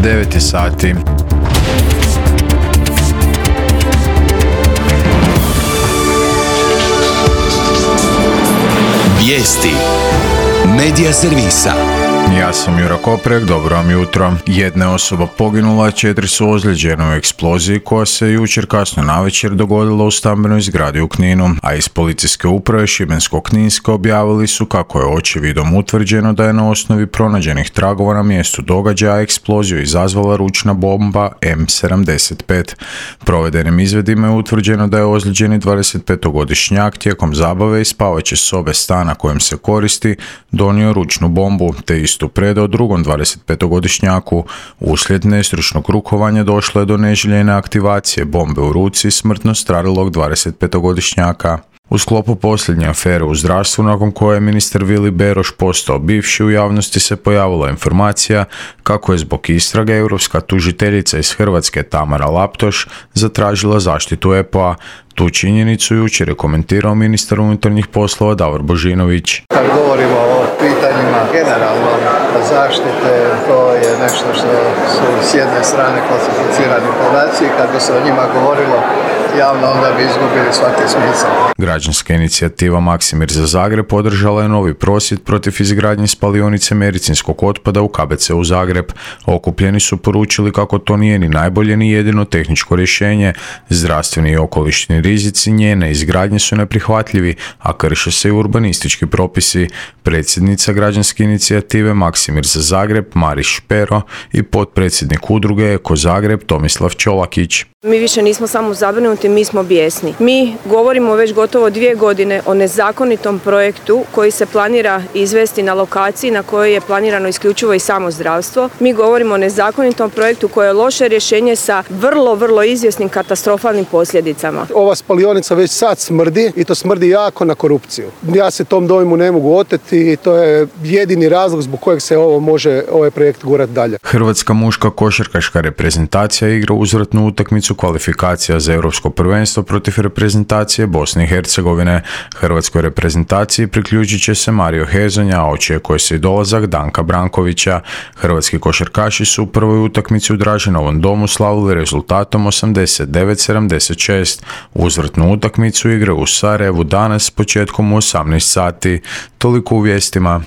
9 je sati. Vijesti Medija servisa. Ja sam Jura Koprek, dobro vam jutro. Jedna osoba poginula, 4 su ozlijeđene u eksploziji koja se jučer kasno navečer dogodila u stambenoj zgradi u Kninu, a iz policijske uprave Šibensko-kninske objavili su kako je očevidom utvrđeno da je na osnovi pronađenih tragova na mjestu događaja eksploziju izazvala ručna bomba M75. Provedenim izvedima je utvrđeno da je ozlijeđeni 25-godišnjak tijekom zabave iz spavaće sobe stana kojim se koristi donio ručnu bombu, te istu predao drugom 25-godišnjaku. Uslijed nestručnog rukovanja došlo je do neželjene aktivacije bombe u ruci smrtno stradalog 25-godišnjaka. U sklopu posljednje afere u zdravstvu, nakon koje je ministar Vili Beroš postao bivši, u javnosti se pojavila informacija kako je zbog istrage europska tužiteljica iz Hrvatske Tamara Laptoš zatražila zaštitu EPO-a. Tu činjenicu jučer je komentirao ministar unutarnjih poslova Davor Božinović. Kad govorimo o pitanjima generalno zaštite, to je nešto što su s jedne strane klasificirani podaci, kad bi se o njima govorilo javno, onda bi izgubili svaki smisao. Građanska inicijativa Maksimir za Zagreb podržala je novi prosvjed protiv izgradnje spalionice medicinskog otpada u KBC-u Zagreb. Okupljeni su poručili kako to nije ni najbolje ni jedino tehničko rješenje. Zdravstveni i okolišni rizici njene izgradnje su neprihvatljivi, a krše se i urbanistički propisi. Predsjednica građanske inicijative Maksimir za Zagreb Mariš Špero i potpredsjednik udruge Eko Zagreb Tomislav Čolakić. Mi više nismo samo zabrinuti, mi smo bijesni. Mi govorimo već gotovo 2 godine o nezakonitom projektu koji se planira izvesti na lokaciji na kojoj je planirano isključivo i samo zdravstvo. Mi govorimo o nezakonitom projektu koje je loše rješenje sa vrlo izvjesnim katastrofalnim posljedicama. Ova spalionica već sad smrdi i to smrdi jako na korupciju. Ja se tom dojmu ne mogu oteti i to je jedini razlog zbog kojeg se ovaj projekt gurati dalje. Hrvatska muška košarkaška reprezentacija igra uzvratnu utakmicu kvalifikacija za europsko prvenstvo protiv reprezentacije Bosne i Hercegovine. Hrvatskoj reprezentaciji priključit će se Mario Hezonja, a očekuje se i dolazak Danka Brankovića. Hrvatski košarkaši su u prvoj utakmici u Draženovom domu slavili rezultatom 89-76. Uzvratnu utakmicu igre u Sarajevu danas s početkom u 18 sati. Toliko u vijestima.